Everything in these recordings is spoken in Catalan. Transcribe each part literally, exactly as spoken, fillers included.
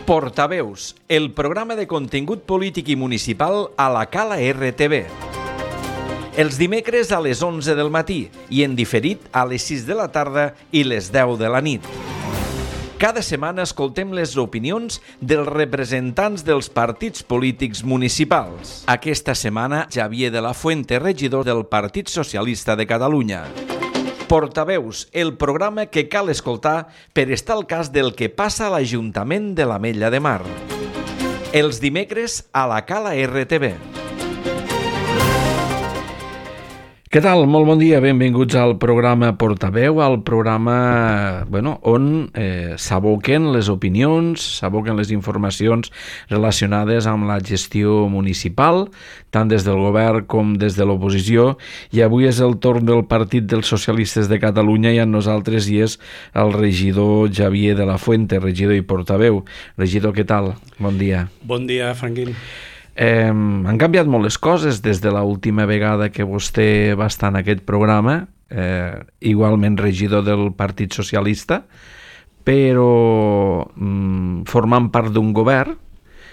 Portaveus, el programa de contingut polític i municipal a la Cala R T V. Els dimecres a les onze del matí i en diferit a les sis de la tarda i les deu de la nit. Cada setmana escoltem les opinions dels representants dels partits polítics municipals. Aquesta setmana, Xavier de la Fuente, regidor del Partit Socialista de Catalunya. Portaveus, el programa que cal escoltar per estar al cas del que passa a l'Ajuntament de l'Ametlla de Mar. Els dimecres a la Cala R T V. Què tal? Molt bon dia, benvinguts al programa Portaveu, al programa bueno, on eh, s'aboquen les opinions, s'aboquen les informacions relacionades amb la gestió municipal, tant des del govern com des de l'oposició, i avui és el torn del Partit dels Socialistes de Catalunya i amb nosaltres hi és el regidor Xavier de la Fuente, regidor i portaveu. Regidor, què tal? Bon dia. Bon dia, Franquín. Eh, han canviat molt les coses des de l'última vegada que vostè va estar en aquest programa, eh, igualment regidor del Partit Socialista, però mm, formant part d'un govern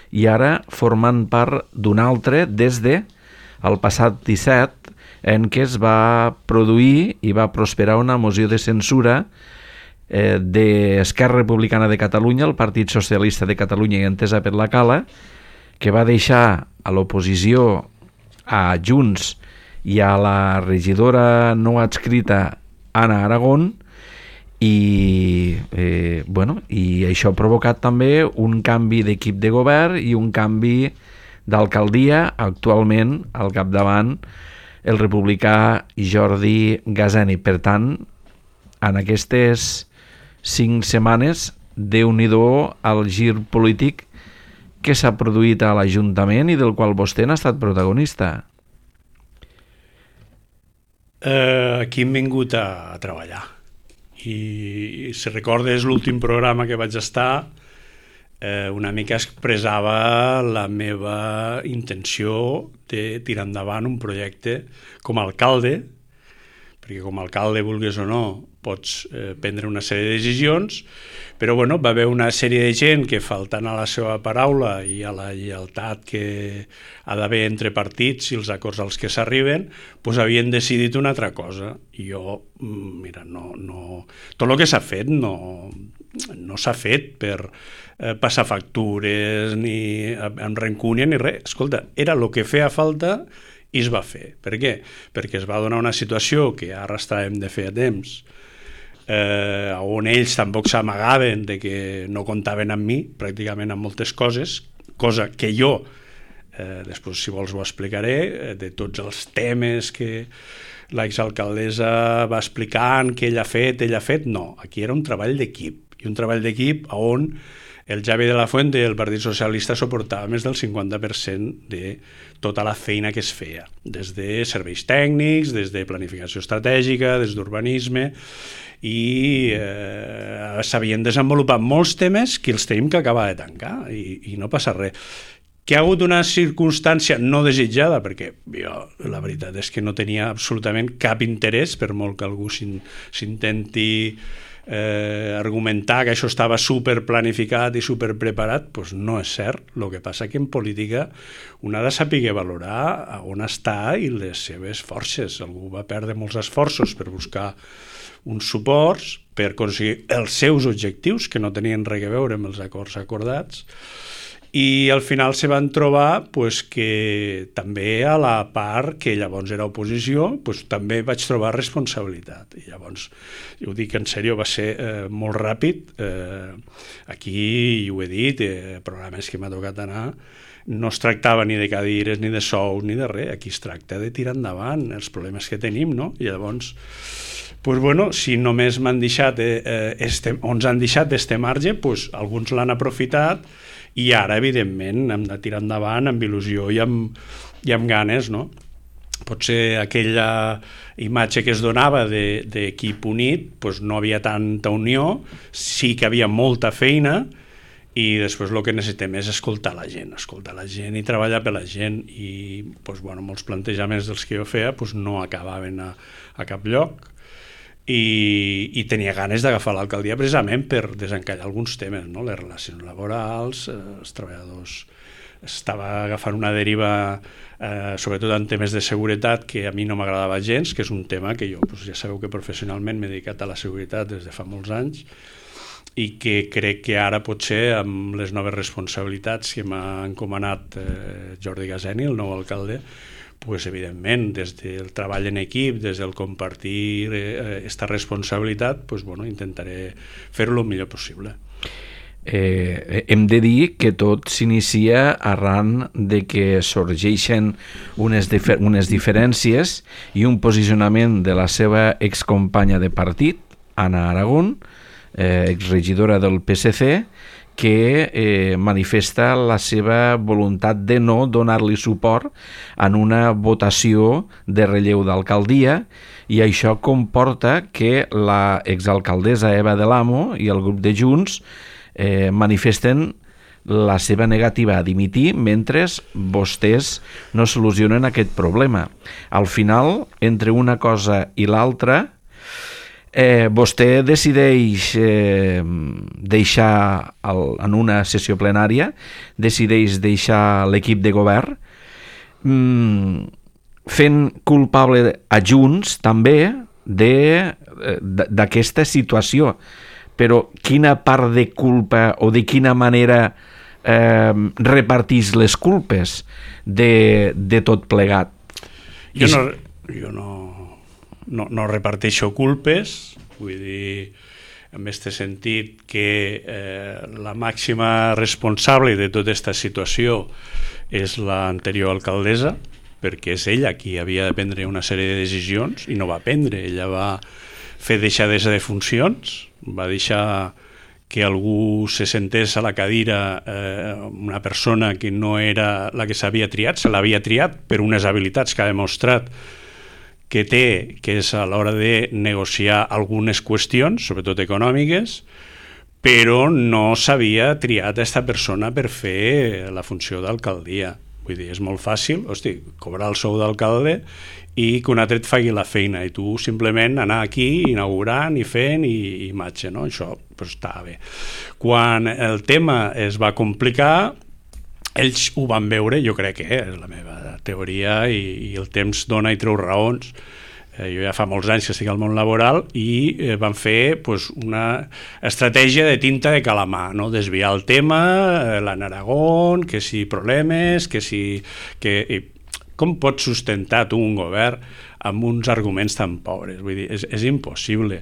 i ara formant part d'un altre des de el passat disset, en què es va produir i va prosperar una moció de censura eh, d'Esquerra Republicana de Catalunya, el Partit Socialista de Catalunya i entesa per la Cala, que va deixar a l'oposició a Junts i a la regidora no adscrita Anna Aragón i, eh, bueno, i això ha provocat també un canvi d'equip de govern i un canvi d'alcaldia, actualment al capdavant el republicà Jordi Gazeni. Per tant, en aquestes cinc setmanes, déu-n'hi-do el gir polític que s'ha produït a l'Ajuntament i del qual vostè n'ha estat protagonista. Eh, aquí hem vingut a, a treballar. I si recordes l'últim programa que vaig estar, eh, una mica expressava la meva intenció de tirar endavant un projecte com a alcalde, perquè com a alcalde, vulguis o no, pots eh, prendre una sèrie de decisions, però bueno, va haver una sèrie de gent que, faltant a la seva paraula i a la lleialtat que ha d'haver entre partits i els acords als que s'arriben, doncs havien decidit una altra cosa. I jo, mira, no, no, tot el que s'ha fet no, no s'ha fet per eh, passar factures, ni amb rancúnia, ni res. Escolta, era el que feia falta i es va fer. Per què? Perquè es va donar una situació que ja arrastràvem de fer a temps, eh, on ells tampoc s'amagaven de que no comptaven amb mi, pràcticament amb moltes coses, cosa que jo, eh, després si vols ho explicaré, eh, de tots els temes que l'exalcaldessa va explicant, que ell ha fet, ell ha fet, no, aquí era un treball d'equip, i un treball d'equip on el Xavier de la Fuente i el Partit Socialista suportava més del cinquanta per cent de tota la feina que es feia, des de serveis tècnics, des de planificació estratègica, des d'urbanisme, i eh, s'havien desenvolupat molts temes que els tenim que acabar de tancar i, i no passa res. Que ha hagut una circumstància no desitjada, perquè jo la veritat és que no tenia absolutament cap interès, per molt que algú s'intenti eh, argumentar que això estava superplanificat i superpreparat, doncs no és cert. El que passa que en política un ha de saber valorar on està i les seves forces. Algú va perdre molts esforços per buscar uns suports per aconseguir els seus objectius, que no tenien res a veure amb els acords acordats, i al final se van trobar pues, que també a la part que llavors era oposició pues, també vaig trobar responsabilitat. I llavors, jo ho dic en sèrio, va ser eh, molt ràpid. Eh, aquí, i ho he dit, eh, programes que m'ha tocat anar, no es tractava ni de cadires, ni de sous, ni de res. Aquí es tracta de tirar endavant els problemes que tenim, no? I llavors, pues bueno, si només m'han deixat, eh, este, o ens han deixat este marge, pues alguns l'han aprofitat i ara, evidentment, hem de tirar endavant amb il·lusió i amb, i amb ganes, no? Potser aquella imatge que es donava d'equip unit, pues no havia tanta unió, sí que havia molta feina, i després el que necessitem és escoltar la gent, escoltar la gent i treballar per la gent, i pues, bueno, molts plantejaments dels que jo feia pues, no acabaven a, a cap lloc, i, i tenia ganes d'agafar l'alcaldia precisament per desencallar alguns temes, no? Les relacions laborals, eh, els treballadors. Estava agafant una deriva, eh, sobretot en temes de seguretat, que a mi no m'agradava gens, que és un tema que jo, doncs, ja sabeu que professionalment m'he dedicat a la seguretat des de fa molts anys, i que crec que ara potser amb les noves responsabilitats que m'ha encomanat eh, Jordi Gaseni, el nou alcalde, pues, evidentment, des del treball en equip, des del compartir aquesta eh, responsabilitat, pues, bueno, intentaré fer-ho el millor possible. Eh, hem de dir que tot s'inicia arran de que sorgeixen unes, difer unes diferències i un posicionament de la seva excompanya de partit, Anna Aragón, eh, exregidora del P S C, que eh, manifesta la seva voluntat de no donar-li suport en una votació de relleu d'alcaldia, i això comporta que la exalcaldessa Eva de l'Amo i el grup de Junts eh, manifesten la seva negativa a dimitir mentre vostès no solucionen aquest problema. Al final, entre una cosa i l'altra, Eh, vostè decideix eh, deixar el, en una sessió plenària, decideix deixar l'equip de govern, mm, fent culpable a Junts també d'aquesta situació. Però quina part de culpa o de quina manera eh, repartís les culpes de, de tot plegat? Jo no... Jo no... No, no reparteixo culpes, vull dir, en aquest sentit que eh, la màxima responsable de tota aquesta situació és l'anterior alcaldessa, perquè és ella qui havia de prendre una sèrie de decisions i no va prendre, ella va fer deixadesa de funcions, va deixar que algú se sentés a la cadira, eh, una persona que no era la que s'havia triat, se l'havia triat per unes habilitats que ha demostrat que té, que és a l'hora de negociar algunes qüestions, sobretot econòmiques, però no s'havia triat aquesta persona per fer la funció d'alcaldia. Vull dir, és molt fàcil, hosti, cobrar el sou d'alcalde i que un altre et faci la feina, i tu simplement anar aquí inaugurant i fent i, i marxa, no? Això pues, està bé. Quan el tema es va complicar, ells ho van veure, jo crec que és la meva teoria, i, i el temps dona i treu raons. Eh, jo ja fa molts anys que estic al món laboral i eh, van fer pues, una estratègia de tinta de calamar, no? Desviar el tema, eh, l'Anna Aragón, que si problemes, que si... Que, i, com pots sustentar tu un govern amb uns arguments tan pobres? Vull dir, és, és impossible.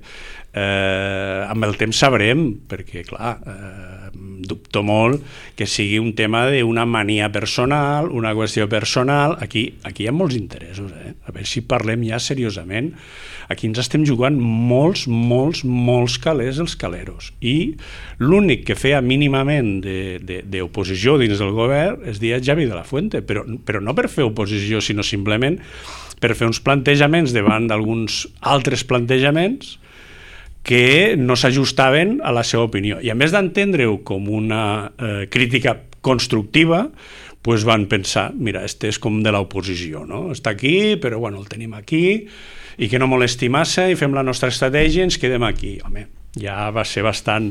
Eh, amb el temps sabrem, perquè, clar, eh, dubto molt que sigui un tema d'una mania personal, una qüestió personal. Aquí, aquí hi ha molts interessos, eh? A veure si parlem ja seriosament. Aquí ens estem jugant molts, molts, molts calés els caleros. I l'únic que feia mínimament d'oposició dins del govern es deia Javi de la Fuente, però, però no per fer oposició, sinó simplement per fer uns plantejaments davant d'alguns altres plantejaments que no s'ajustaven a la seva opinió. I a més d'entendre-ho com una eh, crítica constructiva, pues van pensar, mira, este és com de l'oposició, no? Està aquí, però bueno, el tenim aquí, i que no molesti massa, i fem la nostra estratègia i ens quedem aquí. Home, ja va ser bastant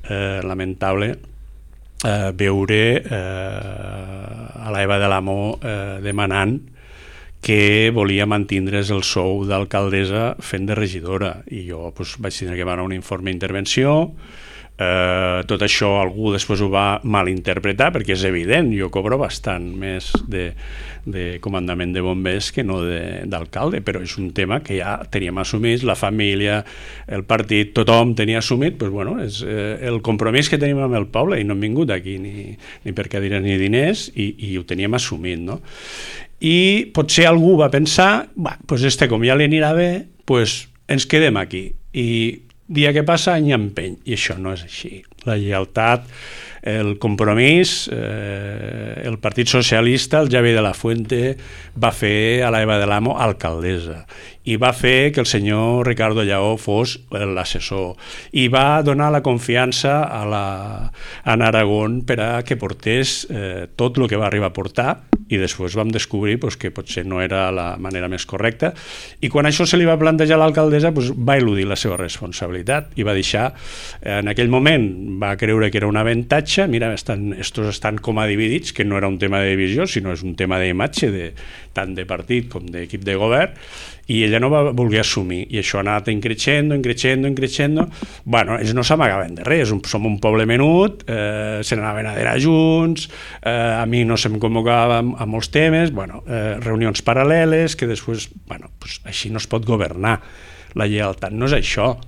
eh, lamentable eh, veure eh, a l'Eva de l'Amo eh, demanant que volia mantindre's el sou d'alcaldessa fent de regidora, i jo pues, vaig tenir que demanar un informe d'intervenció. Eh, tot això algú després ho va malinterpretar, perquè és evident, jo cobro bastant més de, de comandament de bombers que no d'alcalde, però és un tema que ja teníem assumit, la família, el partit, tothom tenia assumit, pues, bueno, és eh, el compromís que tenim amb el poble, i no hem vingut aquí ni, ni per cadires ni diners, i, i ho teníem assumit, no? I potser algú va pensar, bah, pues este com ja li anirà bé, pues ens quedem aquí, i dia que passa any empeny, i això no és així. La lleialtat, el compromís, eh, el Partit Socialista, el Javi de la Fuente, va fer a l'Eva de l'Amo alcaldessa, i va fer que el senyor Ricardo Lleó fos l'assessor, i va donar la confiança a la Anna Aragón per a que portés eh, tot el que va arribar a portar, i després vam descobrir pues, que potser no era la manera més correcta, i quan això se li va plantejar a l'alcaldessa pues, va eludir la seva responsabilitat i va deixar, en aquell moment va creure que era un avantatge, mira, estan, estos estan com a dividits, que no era un tema de divisió, sinó és un tema d'imatge de, tant de partit com d'equip de govern, i ella no va voler assumir, i això ha anat increixendo, increixendo, increixendo. Bueno, ells no s'amagaven de res, som un poble menut, eh, se n'anaven a dinar junts, eh, a mi no se'm convocava a, a molts temes, bueno, eh, reunions paral·leles, que després, bueno, pues, així no es pot governar. La lleialtat no és això.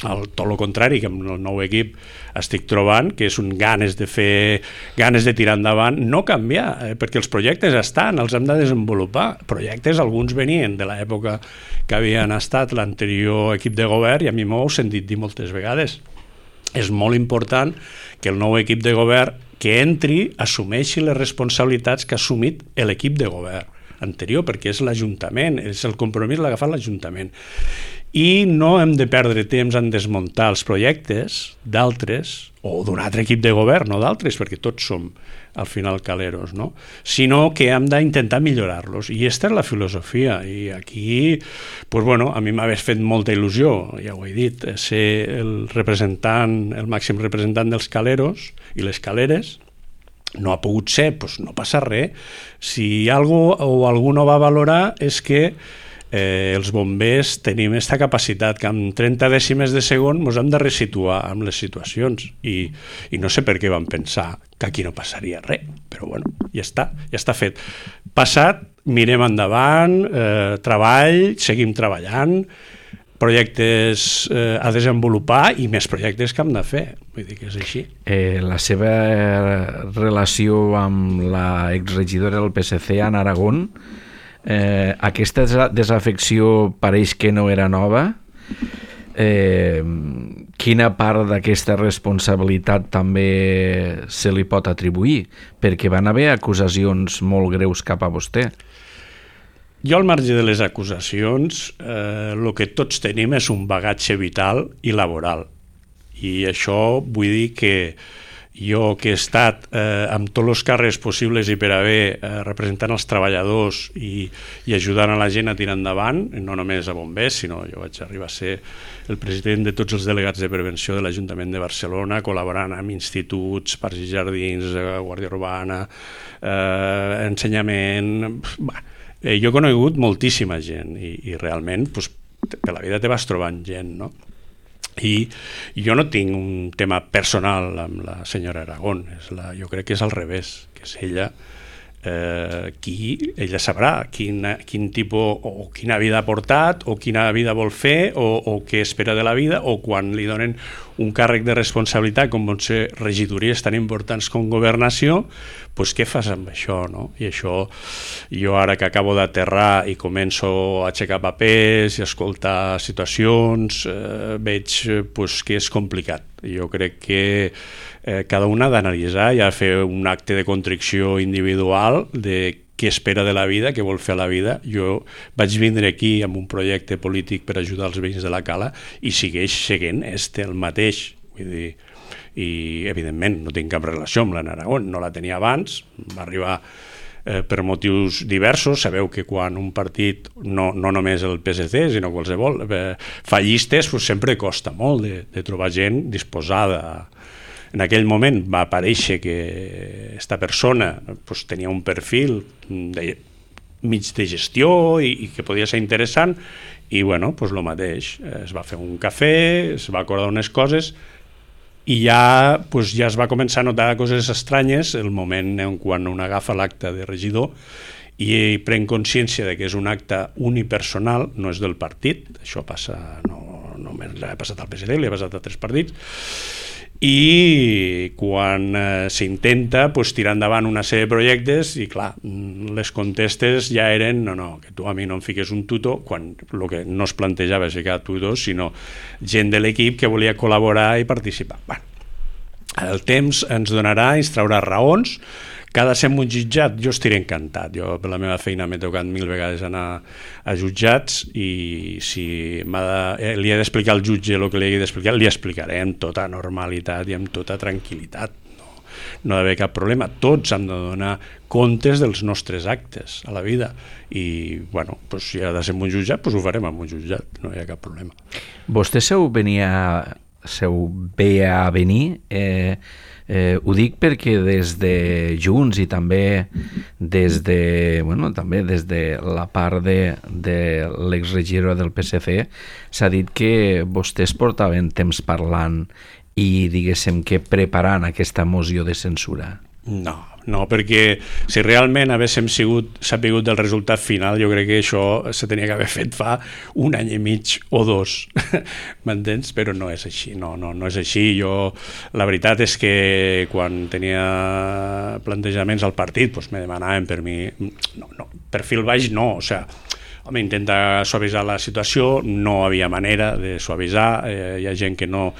El, tot el contrari, que amb el nou equip estic trobant que és un ganes de fer, ganes de tirar endavant, no canviar, eh, perquè els projectes estan, els hem de desenvolupar. Projectes, alguns venien de l'època que havien estat l'anterior equip de govern, i a mi m'ho heu sentit dir moltes vegades. És molt important que el nou equip de govern que entri assumeixi les responsabilitats que ha assumit l'equip de govern anterior, perquè és l'Ajuntament, és el compromís l'ha agafat l'Ajuntament. I no hem de perdre temps en desmuntar els projectes d'altres, o d'un altre equip de govern, no d'altres, perquè tots som al final caleros, no? Sinó que hem d'intentar millorar-los. I aquesta és la filosofia. I aquí, pues bueno, a mi m'hagués fet molta il·lusió, ja ho he dit, ser el representant, el màxim representant dels caleros i les caleres. No ha pogut ser, doncs no passa res. Si algú o algú no va valorar és que eh, els bombers tenim aquesta capacitat que amb trenta dècimes de segon ens hem de resituar amb les situacions, i, i no sé per què vam pensar que aquí no passaria res, però bueno, ja està, ja està fet. Passat, mirem endavant, eh, treball, seguim treballant, projectes eh, a desenvolupar i més projectes que hem de fer, vull dir que és així. Eh, la seva relació amb la exregidora del P S C en Aragón, eh, aquesta desafecció pareix que no era nova. Eh, quina part d'aquesta responsabilitat també se li pot atribuir? Perquè van haver acusacions molt greus cap a vostè. Jo, al marge de les acusacions, eh, el que tots tenim és un bagatge vital i laboral. I això vull dir que jo, que he estat eh, amb tots els càrrecs possibles i per haver eh, representant els treballadors i, i ajudant a la gent a tirar endavant, no només a bombers, sinó jo vaig arribar a ser el president de tots els delegats de prevenció de l'Ajuntament de Barcelona, col·laborant amb instituts, parcs i jardins, eh, Guàrdia Urbana, eh, ensenyament... Bah, Eh, jo he conegut moltíssima gent i, i realment pues, per la vida te vas trobant gent, no? I jo no tinc un tema personal amb la senyora Aragón, és la, jo crec que és al revés, que és ella eh, qui, ella sabrà quin, quin tipus o quina vida ha portat o quina vida vol fer o, o què espera de la vida, o quan li donen un càrrec de responsabilitat com pot ser regidories tan importants com governació, doncs què fas amb això, no? I això, jo ara que acabo d'aterrar i començo a aixecar papers i a escoltar situacions, eh, veig pues, que és complicat. Jo crec que eh, cada un ha d'analitzar i ha de fer un acte de contrició individual de què espera de la vida, què vol fer a la vida. Jo vaig vindre aquí amb un projecte polític per ajudar els veïns de la Cala i segueix seguint este el mateix. Vull dir, i evidentment no tinc cap relació amb l'Anna Aragón, no la tenia abans, va arribar eh, per motius diversos. Sabeu que quan un partit, no, no només el P S C, sinó qualsevol, eh, fa llistes, pues sempre costa molt de, de trobar gent disposada a... En aquell moment va aparèixer que aquesta persona pues, tenia un perfil de, mig de gestió i, i que podia ser interessant, i bueno, pues lo mateix, es va fer un cafè, es va acordar unes coses i ja, pues, ja es va començar a notar coses estranyes el moment en quan un agafa l'acte de regidor i pren consciència de que és un acte unipersonal, no és del partit, això passa, no només l'ha passat al P S D, li ha passat a tres partits, i quan eh, s'intenta pues, tirar endavant una sèrie de projectes i clar, les contestes ja eren no, no, que tu a mi no em fiques un tutor, quan el que no es plantejava és ficar tutors, sinó gent de l'equip que volia col·laborar i participar. Bueno, el temps ens donarà, ens traurà raons. Cada ser un jutjat, jo estiré encantat. Jo per la meva feina m'he tocat mil vegades anar a jutjats i si de, eh, li he d'explicar al jutge el que li he d'explicar, li explicaré amb tota normalitat i amb tota tranquil·litat. No? no ha d'haver cap problema. Tots hem de donar comptes dels nostres actes a la vida i, bueno, pues, si ha de ser en un jutjat, pues ho farem en un jutjat, no hi ha cap problema. Vostè seu venia, seu ve a venir, eh, eh, ho dic perquè des de Junts i també des de, bueno, també des de la part de, de l'exregidor del P S C s'ha dit que vostès portaven temps parlant i diguéssim que preparant aquesta moció de censura. No, no, perquè si realment haguéssim sigut sapigut del resultat final, jo crec que això se tenia que haver fet fa un any i mig o dos, m'entens? Però no és així, no, no, no és així. Jo, la veritat és que quan tenia plantejaments al partit, doncs me demanaven per mi, no, no, perfil baix no, o sigui, home, intenta suavitzar la situació, no havia manera de suavitzar, eh, hi ha gent que no,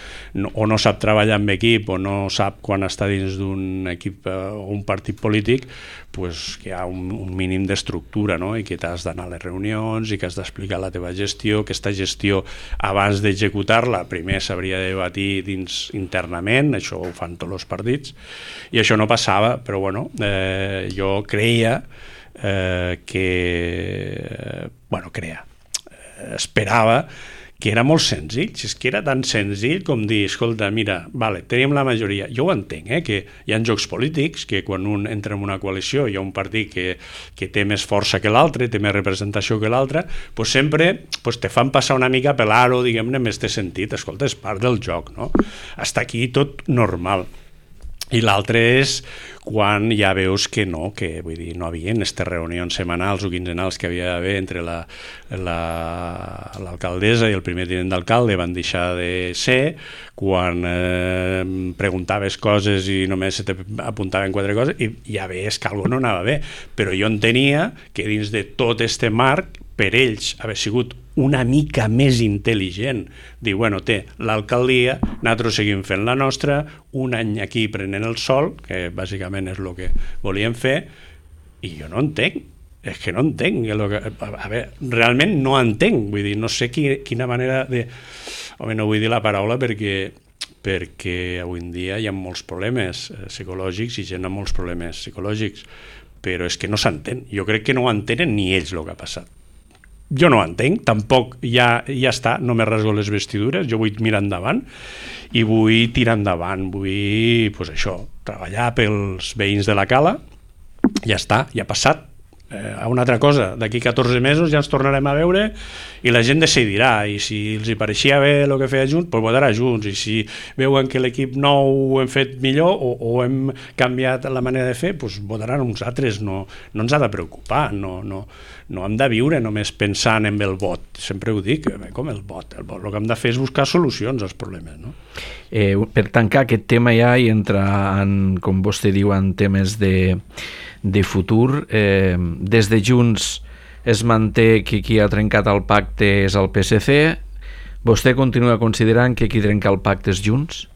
no, o no sap treballar amb equip o no sap quan està dins d'un equip eh, o un partit polític, pues, que hi ha un, un mínim d'estructura, no? I que t'has d'anar a les reunions i que has d'explicar la teva gestió, que aquesta gestió abans d'executar-la primer s'hauria de debatir dins internament, això ho fan tots els partits, i això no passava, però bueno, eh, jo creia Eh, que bueno, crea eh, esperava que era molt senzill, si és que era tan senzill com dir, escolta, mira, vale, tenim la majoria, jo ho entenc, eh, que hi ha jocs polítics, que quan un entra en una coalició hi ha un partit que, que té més força que l'altre, té més representació que l'altre, pues sempre pues te fan passar una mica per l'aro, diguem-ne, en aquest sentit, escolta, és part del joc, no? Hasta aquí tot normal. I l'altre és quan ja veus que no, que vull dir, no havia aquestes reunions setmanals o quinzenals que havia d'haver entre la, la, l'alcaldessa i el primer tinent d'alcalde van deixar de ser, quan eh, preguntaves coses i només se t'apuntaven quatre coses i ja veus que alguna no anava bé, però jo entenia que dins de tot este marc per ells haver sigut una mica més intel·ligent, dir, bueno, té l'alcaldia, nosaltres seguim fent la nostra, un any aquí prenent el sol, que bàsicament és el que volíem fer, i jo no entenc, és que no entenc, que, a veure, realment no entenc, vull dir, no sé qui, quina manera de... Home, no vull dir la paraula perquè perquè avui en dia hi ha molts problemes psicològics i gent amb molts problemes psicològics, però és que no s'entén, jo crec que no ho entenen ni ells el que ha passat. Jo no ho entenc, tampoc ja, ja està, no me rasgo les vestidures, jo vull mirar endavant i vull tirar endavant, vull, pues això, treballar pels veïns de la Cala, ja està, ja ha passat. Eh, a una altra cosa, d'aquí catorze mesos ja ens tornarem a veure i la gent decidirà, i si els hi pareixia bé el que feia Junts, doncs votarà Junts, i si veuen que l'equip nou ho hem fet millor o, o hem canviat la manera de fer, doncs votaran uns altres, no, no ens ha de preocupar, no, no, no hem de viure només pensant en el vot, sempre ho dic, com el vot, el vot, el que hem de fer és buscar solucions als problemes, no? Eh, per tancar aquest tema ja i entrar en, com vostè diu, en temes de de futur, eh, des de Junts es manté que qui ha trencat el pacte és el P S C. Vostè continua considerant que qui trenca el pacte és Junts?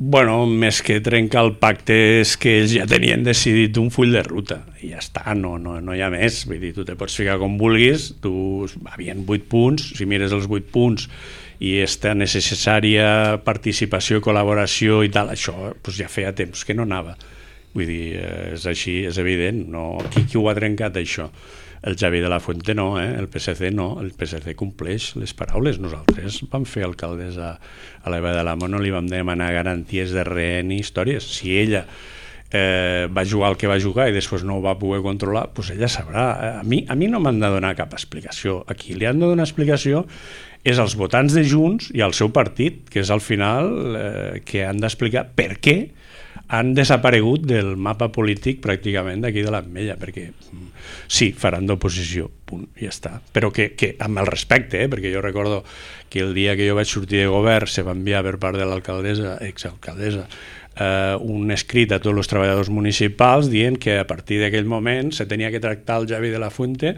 Bueno, més que trencar el pacte és que ells ja tenien decidit un full de ruta i ja està, no, no, no hi ha més, vull dir, tu te pots ficar com vulguis, tu, havien vuit punts, si mires els vuit punts i aquesta necessària participació, col·laboració i tal, això pues ja feia temps que no anava. Vull dir, és així, és evident, no? Qui, qui ho ha trencat, això? El Javi de la Fuente no, eh? El P S C no, el P S C compleix les paraules. Nosaltres vam fer alcaldessa a l'Eva de l'Amo, no li vam demanar garanties de rehén i històries. Si ella eh, va jugar el que va jugar i després no ho va poder controlar, doncs ella sabrà. A mi, a mi no m'han de donar cap explicació. A qui li han de donar explicació és als votants de Junts i al seu partit, que és al final eh, que han d'explicar per què han desaparegut del mapa polític pràcticament d'aquí de l'Ametlla, perquè sí, faran d'oposició, punt, ja està. Però que, que amb el respecte, eh? Perquè jo recordo que el dia que jo vaig sortir de govern se va enviar per part de l'alcaldessa, exalcaldessa, eh, un escrit a tots els treballadors municipals dient que a partir d'aquell moment se tenia que tractar el Javi de la Fuente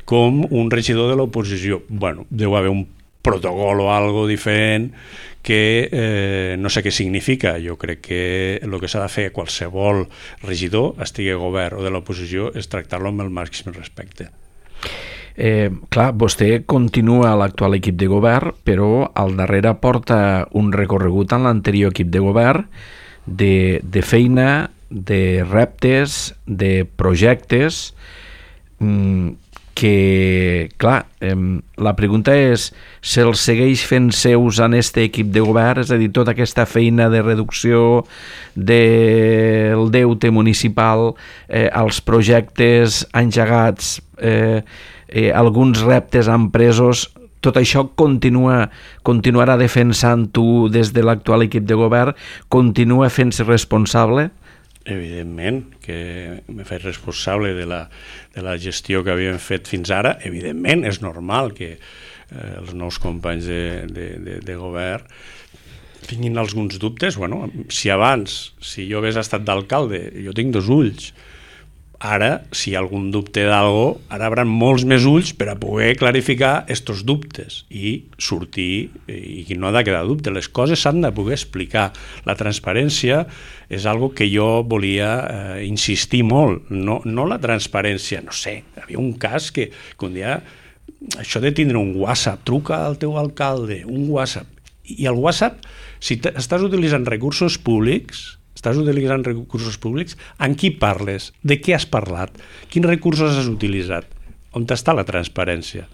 com un regidor de l'oposició. Bueno, deu haver un protocol o algo diferent que eh, no sé què significa. Jo crec que el que s'ha de fer qualsevol regidor, estigui a govern o de l'oposició, és tractar-lo amb el màxim respecte. Eh, clar, vostè continua a l'actual equip de govern, però al darrere porta un recorregut en l'anterior equip de govern de, de feina, de reptes, de projectes, que, clar, eh, la pregunta és, se'ls segueix fent seus en este equip de govern, és a dir, tota aquesta feina de reducció del deute municipal, eh, els projectes engegats, eh, eh, alguns reptes empresos, tot això continua, continuarà defensant tu des de l'actual equip de govern, continua fent-se responsable? Evidentment, que m'he fet responsable de la, de la gestió que havíem fet fins ara. Evidentment, és normal que eh, els nous companys de, de, de, de govern tinguin alguns dubtes. Bueno, si abans, si jo hagués estat d'alcalde, jo tinc dos ulls. Ara, si hi ha algun dubte d'algo, ara hi haurà molts més ulls per a poder clarificar estos dubtes i sortir, i no ha de quedar dubte, les coses s'han de poder explicar. La transparència és algo que jo volia eh, insistir molt, no, no la transparència, no sé, hi havia un cas que, que un dia, això de tindre un WhatsApp, truca al teu alcalde, un WhatsApp, i el WhatsApp, si estàs utilitzant recursos públics, estàs utilitzant recursos públics, amb qui parles? De què has parlat? Quins recursos has utilitzat? On està la transparència?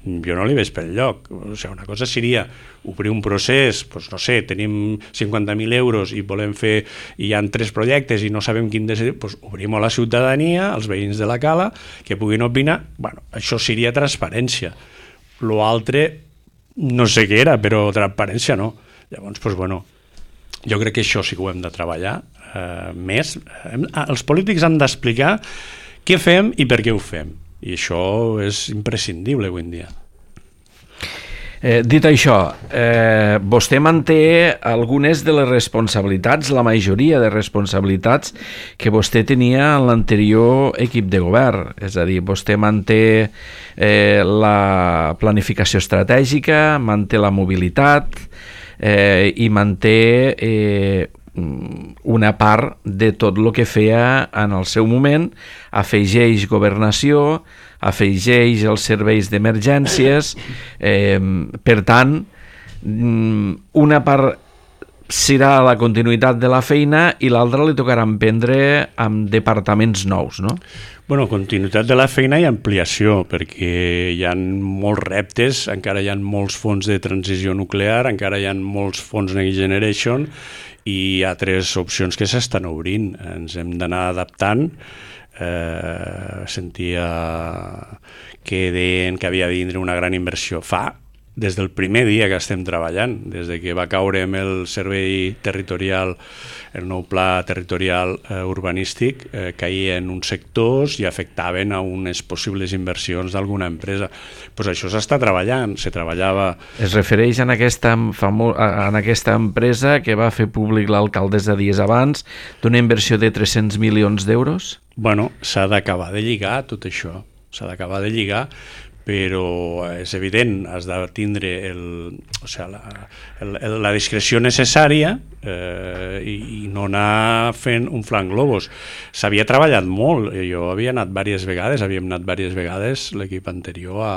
Jo no li veig per lloc. O sigui, una cosa seria obrir un procés, doncs no sé, tenim cinquanta mil euros i volem fer, i hi ha tres projectes i no sabem quin decidir, doncs obrim a la ciutadania, als veïns de la Cala, que puguin opinar. Bueno, això seria transparència. L'altre no sé què era, però transparència no. Llavors, doncs bueno, jo crec que això sí que ho hem de treballar eh, més. Els polítics han d'explicar què fem i per què ho fem. I això és imprescindible avui en dia. Eh, dit això, eh, vostè manté algunes de les responsabilitats, la majoria de responsabilitats que vostè tenia en l'anterior equip de govern. És a dir, vostè manté eh, la planificació estratègica, manté la mobilitat, Eh, i manté eh, una part de tot el que feia en el seu moment, afegeix governació, afegeix els serveis d'emergències, eh, per tant, una part serà la continuïtat de la feina i l'altra li tocarà emprendre amb departaments nous, no? Bueno, continuïtat de la feina i ampliació, perquè hi ha molts reptes, encara hi ha molts fons de transició nuclear, encara hi ha molts fons Next Generation i hi ha tres opcions que s'estan obrint. Ens hem d'anar adaptant. Eh, sentia que deien que havia de vindre una gran inversió. Fa des del primer dia que estem treballant, des de que va caure amb el servei territorial, el nou pla territorial eh, urbanístic, eh, caia en uns sectors i afectaven a unes possibles inversions d'alguna empresa. Pues això s'està treballant, se treballava... Es refereix en aquesta, famo... en aquesta empresa que va fer públic l'alcaldessa dies abans d'una inversió de tres-cents milions d'euros? Bueno, s'ha d'acabar de lligar tot això, s'ha d'acabar de lligar, però és evident, has de tindre el, o sigui, la, el, la discreció necessària eh, i, i no anar fent un flanc globus. S'havia treballat molt, jo havia anat diverses vegades, havíem anat diverses vegades l'equip anterior a,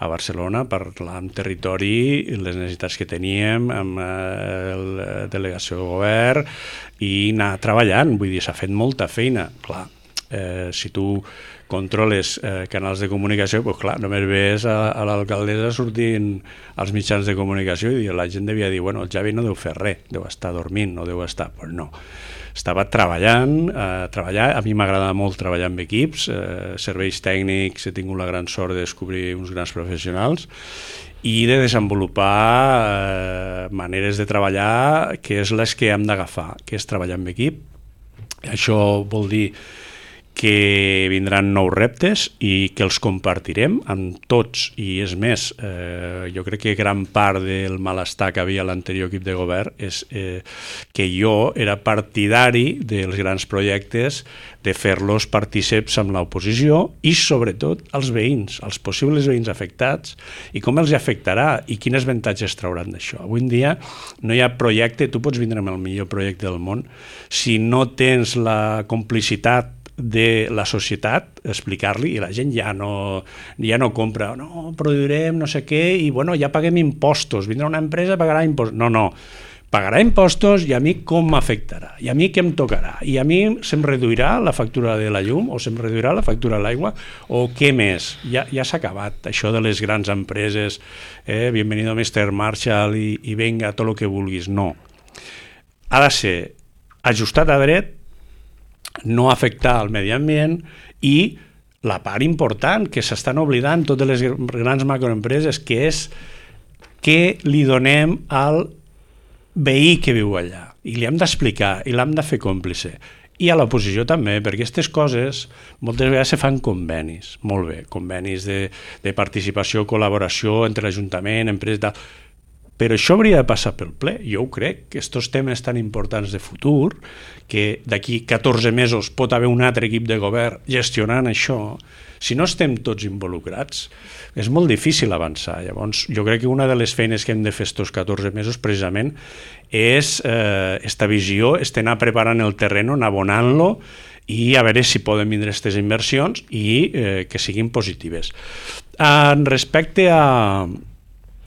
a Barcelona per parlar amb territori, les necessitats que teníem, amb eh, la delegació de govern i anar treballant, vull dir, s'ha fet molta feina, clar. Eh, si tu controles eh, canals de comunicació, doncs clar, només ves a, a l'alcaldessa sortint als mitjans de comunicació i la gent devia dir, bueno, el Javi no deu fer res, deu estar dormint, no deu estar... Pues no, estava treballant, eh, treballar, a mi m'agrada molt treballar amb equips, eh, serveis tècnics, he tingut la gran sort de descobrir uns grans professionals i de desenvolupar eh, maneres de treballar que és les que hem d'agafar, que és treballar amb equip. Això vol dir que vindran nous reptes i que els compartirem amb tots, i és més, eh, jo crec que gran part del malestar que havia a l'anterior equip de govern és eh, que jo era partidari dels grans projectes, de fer-los partíceps amb l'oposició i sobretot els veïns, els possibles veïns afectats, i com els afectarà i quins avantatges trauran d'això. Avui en dia no hi ha projecte, tu pots vindre amb el millor projecte del món, si no tens la complicitat de la societat, explicar-li, i la gent ja no, ja no compra, no, produirem no sé què, i bueno, ja paguem impostos, vindrà una empresa, pagarà impostos. No, no, pagarà impostos i a mi com m'afectarà, i a mi què em tocarà, i a mi se'm reduirà la factura de la llum o se'm reduirà la factura de l'aigua o què més. Ja, ja s'ha acabat això de les grans empreses, eh, bienvenido mister Marshall i, i venga, tot el que vulguis. No. Ha de ser ajustat a dret, no afectar el medi ambient i la part important que s'estan oblidant totes les grans macroempreses, que és què li donem al veí que viu allà, i li hem d'explicar i l'hem de fer còmplice, i a l'oposició també, perquè aquestes coses moltes vegades se fan convenis, molt bé, convenis de, de participació, col·laboració entre l'Ajuntament, empreses, tal. Però això hauria de passar pel ple. Jo ho crec, que aquests temes tan importants de futur, que d'aquí catorze mesos pot haver un altre equip de govern gestionant això, si no estem tots involucrats, és molt difícil avançar. Llavors, jo crec que una de les feines que hem de fer aquests catorze mesos precisament és eh, esta visió, és anar preparant el terreny, anar abonant-lo i a veure si poden vindre aquestes inversions i eh, que siguin positives. En respecte a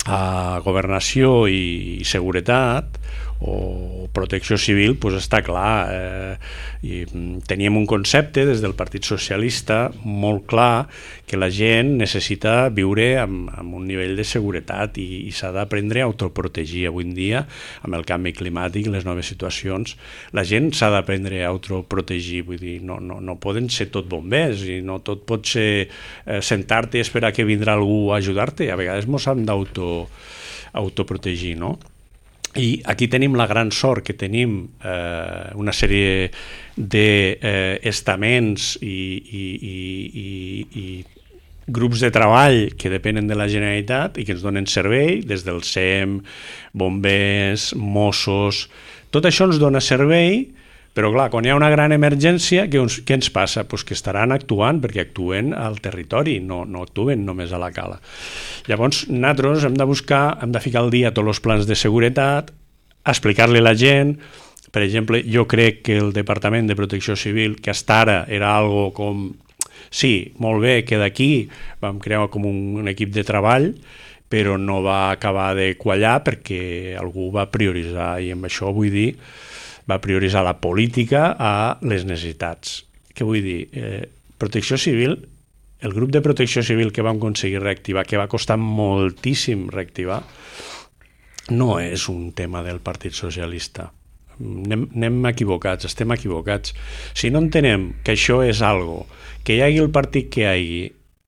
a governació i seguretat o protecció civil, doncs està clar. Eh, i teníem un concepte des del Partit Socialista molt clar, que la gent necessita viure amb, amb un nivell de seguretat i, i s'ha d'aprendre a autoprotegir. Avui en dia, amb el canvi climàtic, les noves situacions, la gent s'ha d'aprendre a autoprotegir. Vull dir, no, no, no poden ser tot bombers i no tot pot ser eh, sentar-te i esperar que vindrà algú a ajudar-te. A vegades ens hem d'auto autoprotegir, no? I aquí tenim la gran sort que tenim eh, una sèrie d'estaments eh, i, i, i, i, i grups de treball que depenen de la Generalitat i que ens donen servei, des del S E M, bombers, Mossos. Tot això ens dona servei, però clar, quan hi ha una gran emergència, què, uns, què ens passa? Pues que estaran actuant, perquè actuen al territori, no, no actuen només a la cala. Llavors, nosaltres hem de buscar, hem de ficar al dia tots els plans de seguretat, explicar-li a la gent. Per exemple, jo crec que el Departament de Protecció Civil, que hasta ara era algo com, sí, molt bé, que d'aquí vam crear com un, un equip de treball, però no va acabar de quallar perquè algú va prioritzar, i amb això vull dir va prioritzar la política a les necessitats. Què vull dir? Eh, protecció civil, el grup de protecció civil que vam aconseguir reactivar, que va costar moltíssim reactivar, no és un tema del Partit Socialista. Anem, anem equivocats, estem equivocats. Si no entenem que això és algo, que hi hagi el partit que hi hagi,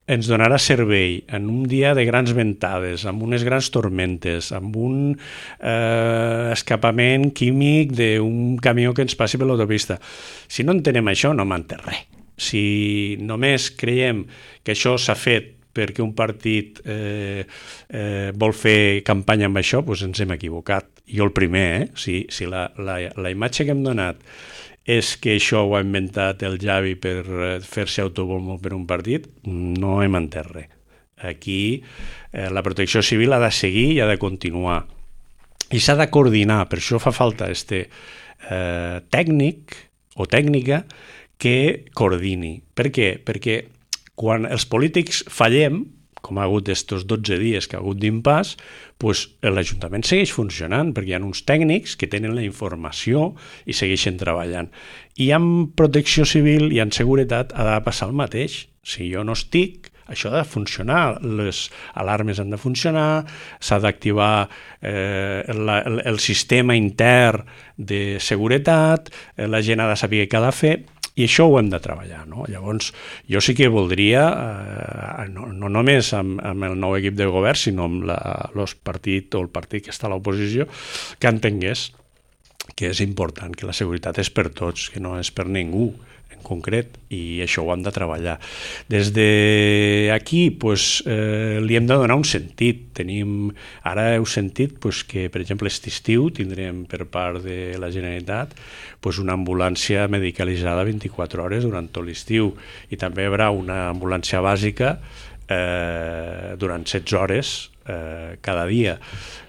ens donarà servei en un dia de grans ventades, amb unes grans tormentes, amb un eh, escapament químic d'un camió que ens passi per l'autopista. Si no entenem això, no m'entén res. Si només creiem que això s'ha fet perquè un partit eh, eh, vol fer campanya amb això, doncs ens hem equivocat. Jo el primer, eh? Si, si la, la, la imatge que hem donat és que això ho ha inventat el Javi per fer-se autobombo per un partit, no hem entès res. Aquí eh, la protecció civil ha de seguir i ha de continuar. I s'ha de coordinar, per això fa falta este eh, tècnic o tècnica que coordini. Per què? Perquè quan els polítics fallem, com ha hagut estos dotze dies que ha hagut d'impàs, doncs l'Ajuntament segueix funcionant, perquè hi ha uns tècnics que tenen la informació i segueixen treballant. I amb protecció civil i en seguretat ha de passar el mateix. Si jo no estic, això ha de funcionar, les alarmes han de funcionar, s'ha d'activar eh, la, el, el sistema intern de seguretat, eh, la gent ha de saber què ha de fer, i això ho hem de treballar, no? Llavors, jo sí que voldria, eh, no, no només amb, amb el nou equip de govern, sinó amb la, el partit o el partit que està a l'oposició, que entengués que és important, que la seguretat és per tots, que no és per ningú en concret, i això ho hem de treballar. Des d'aquí pues, eh, li hem de donar un sentit. Tenim, ara heu sentit pues, que, per exemple, aquest estiu tindrem per part de la Generalitat pues, una ambulància medicalitzada vint-i-quatre hores durant tot l'estiu, i també hi haurà una ambulància bàsica eh, durant setze hores eh, cada dia.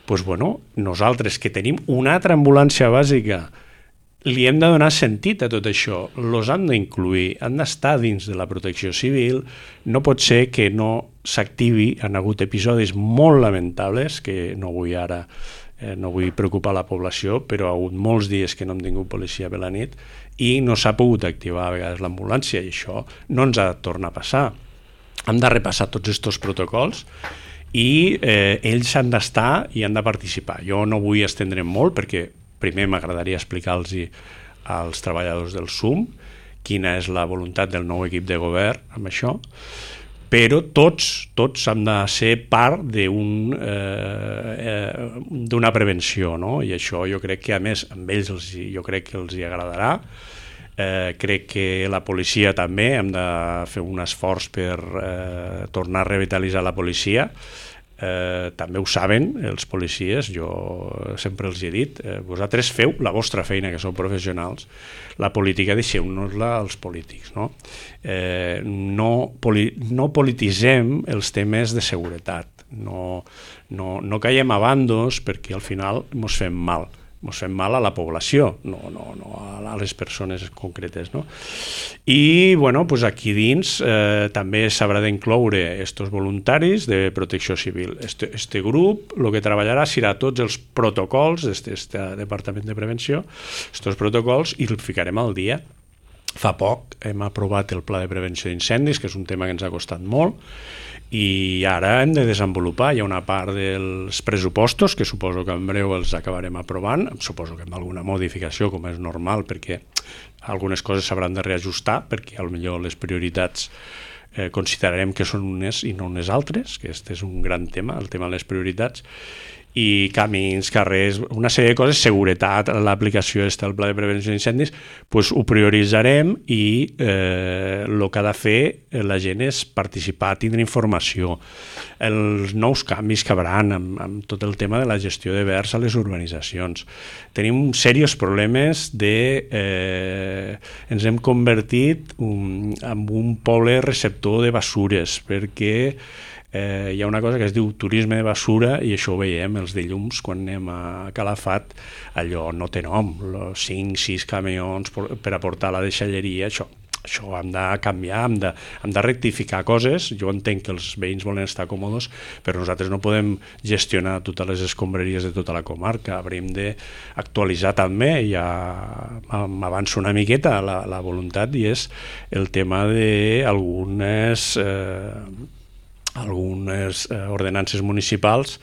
Pues, bueno, nosaltres que tenim una altra ambulància bàsica li hem de donar sentit a tot això, los han d'incluir, han d'estar dins de la protecció civil. No pot ser que no s'activi. Han hagut episodis molt lamentables, que no vull ara eh, no vull preocupar la població, però ha hagut molts dies que no hem tingut policia per la nit i no s'ha pogut activar a vegades l'ambulància, i això no ens ha de tornar a passar. Hem de repassar tots aquests protocols i eh, ells han d'estar i han de participar. Jo no vull estendre'm molt perquè primer m'agradaria explicar-los als treballadors del S U M quina és la voluntat del nou equip de govern amb això, però tots, tots hem de ser part d'un, eh, eh, d'una prevenció, no? I això jo crec que a més amb ells els, jo crec que els hi agradarà. Eh, crec que la policia també hem de fer un esforç per eh, tornar a revitalitzar la policia. Eh, també ho saben els policies, jo sempre els he dit, eh, vosaltres feu la vostra feina, que sou professionals, la política deixeu-nos-la als polítics, no? Eh, no, poli no polititzem els temes de seguretat, no, no, no caiem a bandos perquè al final ens fem mal. Ens fem mal a la població, no, no, no a les persones concretes, no? I bueno, pues aquí dins eh, també s'haurà d'incloure aquests voluntaris de protecció civil. Este, este grup el que treballarà serà tots els protocols d'aquest Departament de Prevenció, aquests protocols, i els ficarem al dia. Fa poc hem aprovat el Pla de Prevenció d'Incendis, que és un tema que ens ha costat molt, i ara hem de desenvolupar. Hi ha una part dels pressupostos que suposo que en breu els acabarem aprovant, suposo que amb alguna modificació, com és normal, perquè algunes coses s'hauran de reajustar, perquè potser les prioritats eh, considerarem que són unes i no unes altres, que aquest és un gran tema, el tema de les prioritats, i camins, carrers, una sèrie de coses, seguretat, l'aplicació del Pla de Prevenció d'Incendis, doncs ho prioritzarem i eh, el que ha de fer la gent és participar, tindre informació, els nous canvis que hauran amb, amb tot el tema de la gestió de vers a les urbanitzacions. Tenim serios problemes de... Eh, ens hem convertit un, en un poble receptor de basures, perquè Eh, hi ha una cosa que es diu turisme de basura, i això ho veiem els dilluns quan anem a Calafat, allò no té nom, cinc, sis camions per aportar la deixalleria, això, això hem de canviar, hem de, hem de rectificar coses. Jo entenc que els veïns volen estar còmodes, però nosaltres no podem gestionar totes les escombraries de tota la comarca, hauríem d'actualitzar també, ja m'avanço una miqueta la, la voluntat, i és el tema d'algunes... Eh, algunes eh, ordenances municipals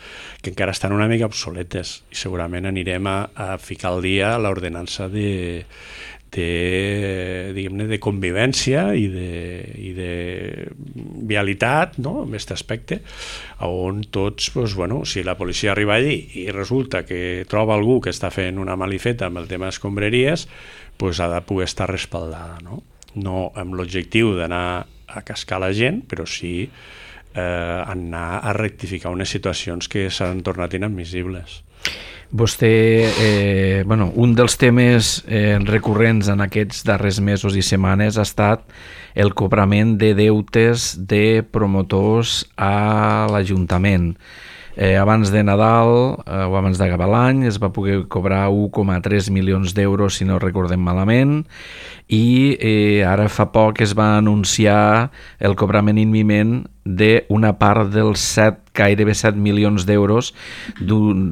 que encara estan una mica obsoletes, i segurament anirem a, a ficar al dia l'ordenança de, de, diguem-ne, de convivència i de, i de vialitat, no?, en aquest aspecte, on tots, doncs, bueno, si la policia arriba allí i resulta que troba algú que està fent una malifeta amb el tema d'escombraries, doncs ha de poder estar respaldada, no? No amb l'objectiu d'anar a cascar la gent, però sí Eh, anar a rectificar unes situacions que s'han tornat inadmissibles. Vostè, eh, bueno, un dels temes eh, recurrents en aquests darrers mesos i setmanes ha estat el cobrament de deutes de promotors a l'Ajuntament. Eh, abans de Nadal eh, o abans d'acabar l'any es va poder cobrar un coma tres milions d'euros, si no recordem malament, i eh, ara fa poc es va anunciar el cobrament imminent d'una part dels set, gairebé set milions d'euros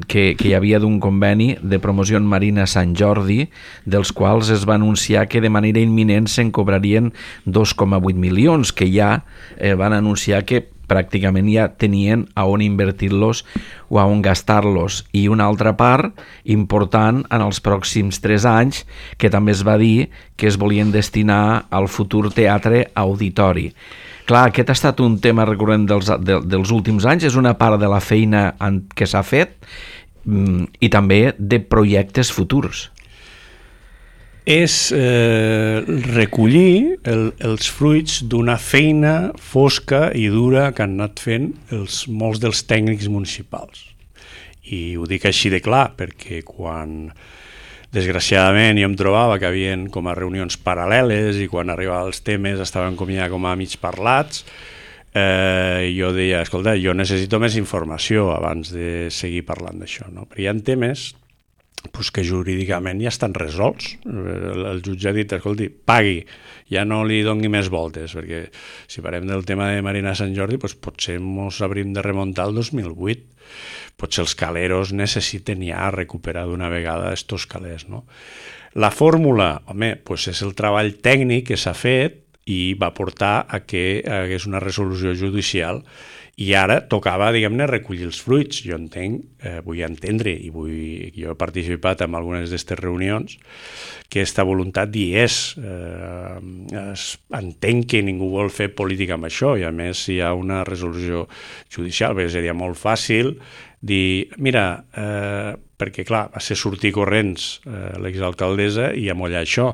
que, que hi havia d'un conveni de promoció marina Sant Jordi, dels quals es va anunciar que de manera imminent se'n cobrarien dos coma vuit milions, que ja eh, van anunciar que pràcticament ja tenien a on invertir-los o a on gastar-los, i una altra part important en els pròxims tres anys que també es va dir que es volien destinar al futur teatre auditori. Clar, aquest ha estat un tema recurrent dels, de, dels últims anys, és una part de la feina que s'ha fet i també de projectes futurs. És eh, recollir el, els fruits d'una feina fosca i dura que han anat fent els, molts dels tècnics municipals. I ho dic així de clar, perquè quan desgraciadament jo em trobava que hi havia com a reunions paral·leles i quan arribaven els temes estaven com ja com a mig parlats, eh, jo deia, escolta, jo necessito més informació abans de seguir parlant d'això, no? Però hi ha temes pues que jurídicament ja estan resolts. El, el jutge ha dit, escolti, pagui, ja no li doni més voltes, perquè si parlem del tema de Marina Sant Jordi, pues potser ens hauríem de remuntar al dos mil vuit. Potser els caleros necessiten ja recuperar d'una vegada estos calés, no? La fórmula, home, pues és el treball tècnic que s'ha fet i va portar a que hagués una resolució judicial i ara tocava, diguem-ne, recollir els fruits. Jo entenc, eh, vull entendre i vull, jo he participat en algunes d'aquestes reunions, que aquesta voluntat hi és. Eh, es, entenc que ningú vol fer política amb això i a més si hi ha una resolució judicial, perquè seria molt fàcil dir, mira, eh, perquè clar, va ser sortir corrents eh, l'exalcaldessa i amollar això.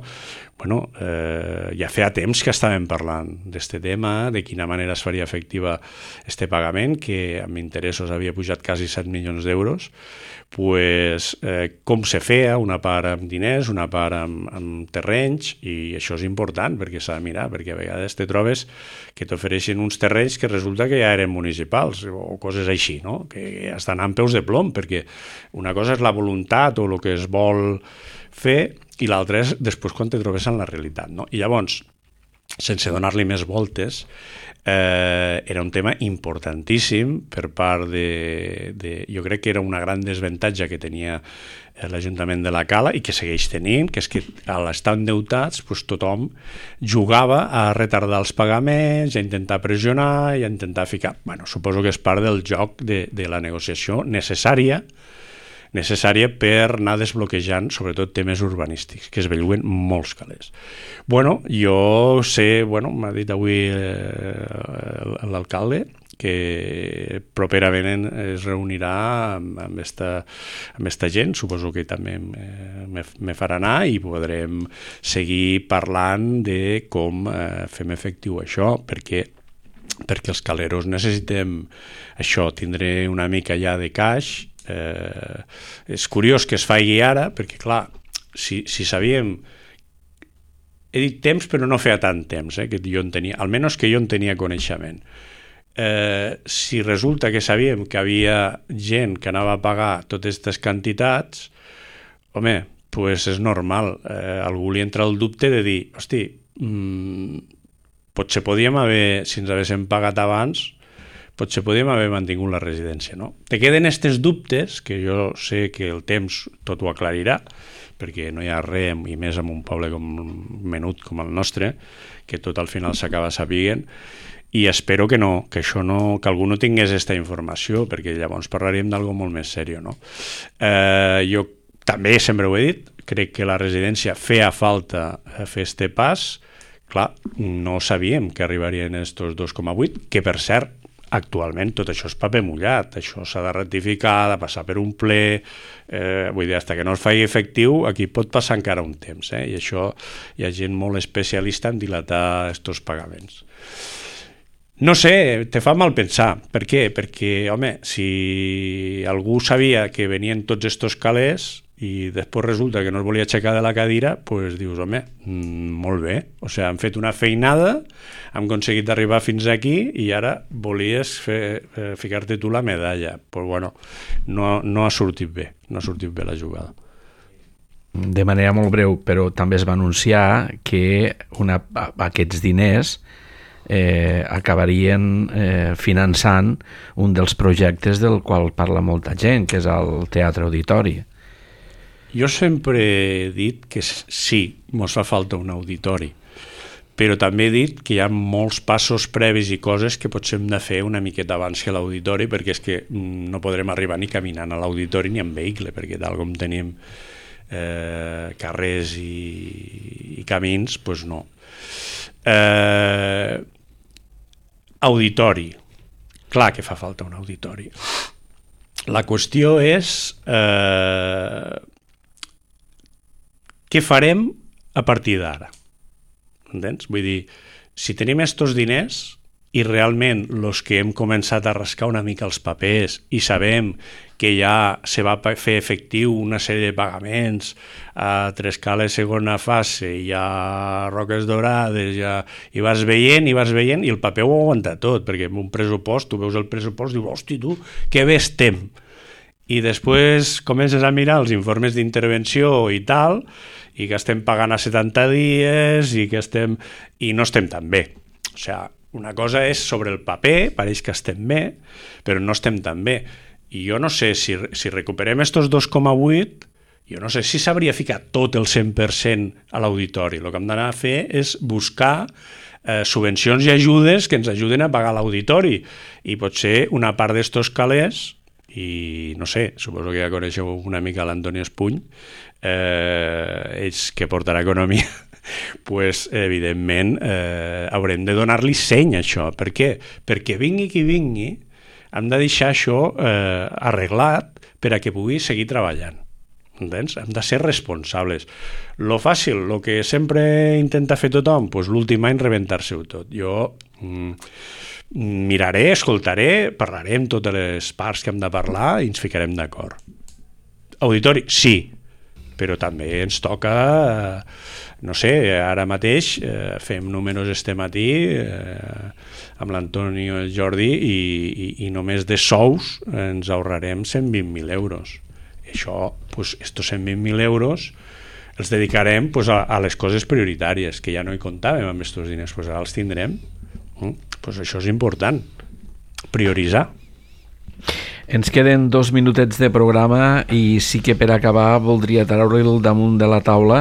Bueno, eh, ja feia temps que estàvem parlant d'aquest tema, de quina manera es faria efectiva este pagament, que amb interessos havia pujat quasi set milions d'euros, pues, eh, com se feia, una part amb diners, una part amb, amb terrenys, i això és important perquè s'ha de mirar, perquè a vegades te trobes que t'ofereixen uns terrenys que resulta que ja eren municipals o coses així, no? Que estan amb peus de plom, perquè una cosa és la voluntat o el que es vol fer i l'altre és després quan te trobes en la realitat, no? I llavors, sense donar-li més voltes, eh, era un tema importantíssim per part de, de... Jo crec que era una gran desavantatge que tenia l'Ajuntament de la Cala i que segueix tenint, que és que a l'estar endeutats pues, tothom jugava a retardar els pagaments, a intentar pressionar i a intentar ficar... Bueno, suposo que és part del joc de, de la negociació necessària necessària per anar desbloquejant sobretot temes urbanístics, que es bellugen molts calés. Bueno, jo sé, bueno, m'ha dit avui eh, l'alcalde que properament es reunirà amb, amb, esta, amb esta gent, suposo que també eh, me, me farà anar i podrem seguir parlant de com eh, fem efectiu això, perquè perquè els caleros necessitem això, tindré una mica ja de caix. Eh, és curiós que es faci ara perquè clar, si, si sabíem he dit temps però no feia tant temps eh, que jo en tenia, almenys que jo en tenia coneixement, eh, si resulta que sabíem que havia gent que anava a pagar totes aquestes quantitats, home, pues és normal, eh, algú li entra el dubte de dir, hosti, mmm, potser podíem haver, si ens haguéssim pagat abans, potser podíem haver mantingut la residència, no? Te queden aquests dubtes, que jo sé que el temps tot ho aclarirà, perquè no hi ha res, i més en un poble com menut com el nostre, que tot al final s'acaba sapiguent, i espero que no, que això no, que algú no tingués aquesta informació, perquè llavors parlaríem d'algo molt més seriós, no? Eh, jo també sempre ho he dit, crec que la residència feia falta fer este pas, clar, no sabíem que arribarien estos dos coma vuit, que per cert, actualment tot això és paper mullat, això s'ha de ratificar, de passar per un ple, eh, vull dir, fins que no es faci efectiu, aquí pot passar encara un temps, eh? I això hi ha gent molt especialista en dilatar aquests pagaments. No sé, te fa mal pensar. Per què? Perquè, home, si algú sabia que venien tots estos calés i després resulta que no es volia aixecar de la cadira, doncs dius, home, mmm, molt bé. O sigui, han fet una feinada, han aconseguit arribar fins aquí i ara volies fer, eh, ficar-te tu la medalla. Doncs, pues, bueno, no, no ha sortit bé, no ha sortit bé la jugada. De manera molt breu, però també es va anunciar que una, aquests diners eh, acabarien eh, finançant un dels projectes del qual parla molta gent, que és el Teatre Auditori. Jo sempre he dit que sí, ens fa falta un auditori, però també he dit que hi ha molts passos previs i coses que potser hem de fer una miqueta abans que l'auditori, perquè és que no podrem arribar ni caminant a l'auditori ni en vehicle, perquè tal com tenim eh, carrers i, i camins, doncs no. Eh, auditori. Clar que fa falta un auditori. La qüestió és... Eh, què farem a partir d'ara? Entens? Vull dir, si tenim estos diners i realment els que hem començat a rascar una mica els papers i sabem que ja se va fer efectiu una sèrie de pagaments a Trescales segona fase, hi ha Roques Dorades, ja... i vas veient, i vas veient, i el paper ho aguanta tot, perquè en un pressupost, tu veus el pressupost i dius, hosti, tu, que bé estem. i després comences a mirar els informes d'intervenció i tal, i que estem pagant a setanta dies i que estem... i no estem tan bé. O sigui, una cosa és sobre el paper, pareix que estem bé, però no estem tan bé. I jo no sé, si, si recuperem estos dos coma vuit, jo no sé si s'hauria ficat tot el cent per cent a l'auditori. El que hem d'anar a fer és buscar eh, subvencions i ajudes que ens ajuden a pagar l'auditori. I potser una part d'estos calés, i no sé, suposo que ja coneixeu una mica l'Antoni Espuny, eh, ells que portarà economia, pues, evidentment eh, haurem de donar-li seny a això. Per què? Perquè vingui qui vingui, hem de deixar això eh, arreglat per a que pugui seguir treballant. Entens? Hem de ser responsables. Lo fàcil, lo que sempre intenta fer tothom, pues, l'últim any rebentar-se-ho tot. Jo mm, miraré, escoltaré, parlarem totes les parts que hem de parlar i ens ficarem d'acord. Auditori, sí, però també ens toca, eh, no sé, ara mateix eh, fem números este matí eh, amb l'Antoni i el Jordi i, i, i només de sous ens ahorrarem cent vint mil euros. I això, pues, estos cent vint mil euros els dedicarem, pues, a, a les coses prioritàries, que ja no hi comptàvem amb aquests diners, pues ara els tindrem. Mm? Pues això és important, prioritzar. Ens queden dos minutets de programa i sí que per acabar voldria treure-el damunt de la taula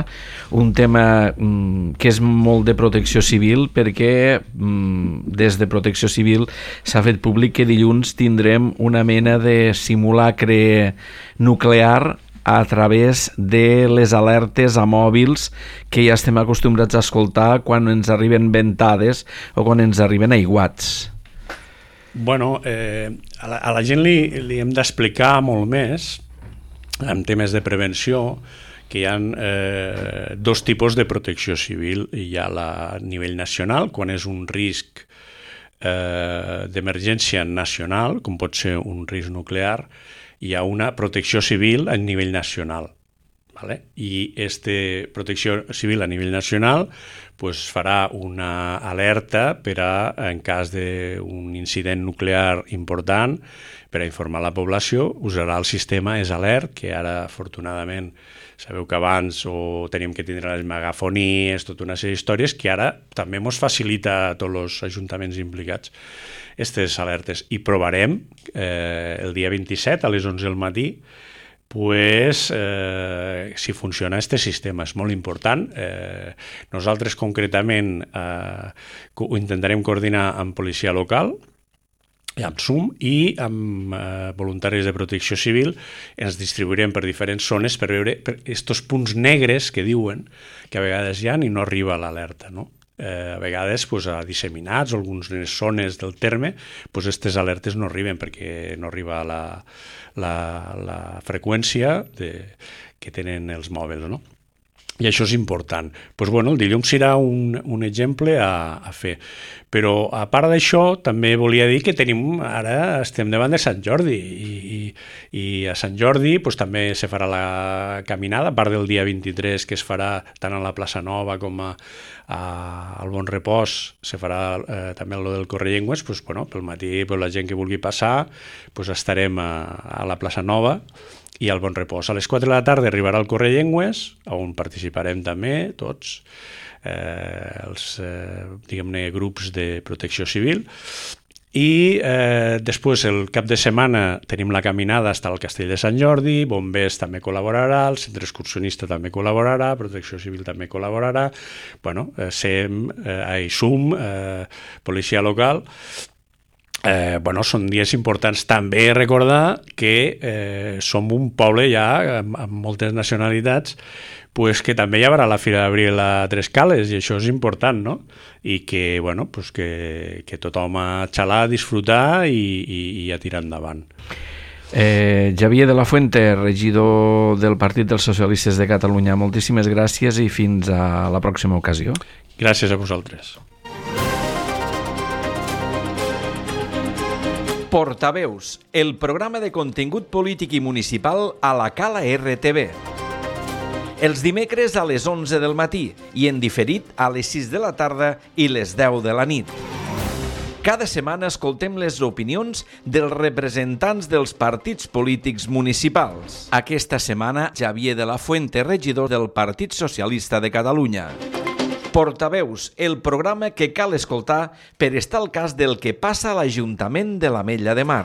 un tema mm, que és molt de protecció civil, perquè mm, des de protecció civil s'ha fet públic que dilluns tindrem una mena de simulacre nuclear a través de les alertes a mòbils que ja estem acostumbrats a escoltar quan ens arriben ventades o quan ens arriben aiguats. Bueno, eh, a, la, a la gent li, li hem d'explicar molt més, en temes de prevenció, que hi ha eh, dos tipus de protecció civil. Hi ha la, a nivell nacional, quan és un risc eh, d'emergència nacional, com pot ser un risc nuclear, hi ha una protecció civil a nivell nacional. ¿Vale? I aquesta protecció civil a nivell nacional pues, farà una alerta per a, en cas d'un incident nuclear important, per a informar la població, usarà el sistema És Alert, que ara, afortunadament, sabeu que abans o teníem que tindre les megafonies, tota una sèrie d'històries, que ara també ens facilita a tots els ajuntaments implicats aquestes alertes. I provarem eh, el dia vint-i-set a les onze del matí pues, eh, si funciona aquest sistema. És molt important. Eh, nosaltres concretament eh, ho intentarem coordinar amb policia local, amb S U M i amb eh, voluntaris de protecció civil. Ens distribuirem per diferents zones per veure aquests punts negres que diuen que a vegades hi ha i no arriba l'alerta, no? Eh, a vegades pues, a disseminats o algunes zones del terme aquestes pues, alertes no arriben perquè no arriba la, la, la freqüència de, que tenen els mòbils, no? I això és important. Pues, bueno, el dilluns serà un, un exemple a, a fer. Però, a part d'això, també volia dir que tenim, ara estem davant de Sant Jordi i, i, i a Sant Jordi pues, també se farà la caminada, a part del dia vint-i-tres que es farà tant a la plaça Nova com a, a, al Bon Repòs, se farà eh, també el del Correllengües, pues, bueno, pel matí pues, la gent que vulgui passar pues, estarem a, a la plaça Nova i al Bon Repòs. A les quatre de la tarda arribarà el Correllengües, on participarem també tots eh, els eh, diguem-ne grups de protecció civil, i eh, després el cap de setmana tenim la caminada fins al Castell de Sant Jordi, Bombers també col·laborarà, el centre excursionista també col·laborarà, Protecció Civil també col·laborarà, bueno, eh, S E M, eh, S U M, eh, policia local. Eh, bueno, són dies importants. També recordar que eh, som un poble ja amb, amb moltes nacionalitats, pues que també hi haurà la Fira d'Abril a Tres Cales, i això és important, no? I que, bueno, pues que, que tothom a xalar, a disfrutar i, i, i a tirar endavant. Eh, Xavier de la Fuente, regidor del Partit dels Socialistes de Catalunya, moltíssimes gràcies i fins a la pròxima ocasió. Gràcies a vosaltres. Portaveus, el programa de contingut polític i municipal a la Cala R T V. Els dimecres a les onze del matí i en diferit a les sis de la tarda i les deu de la nit. Cada setmana escoltem les opinions dels representants dels partits polítics municipals. Aquesta setmana, Xavier de la Fuente, regidor del Partit Socialista de Catalunya. Portaveus, el programa que cal escoltar per estar al cas del que passa a l'Ajuntament de l'Ametlla de Mar.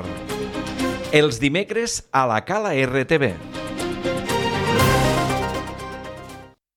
Els dimecres a la Cala R T V.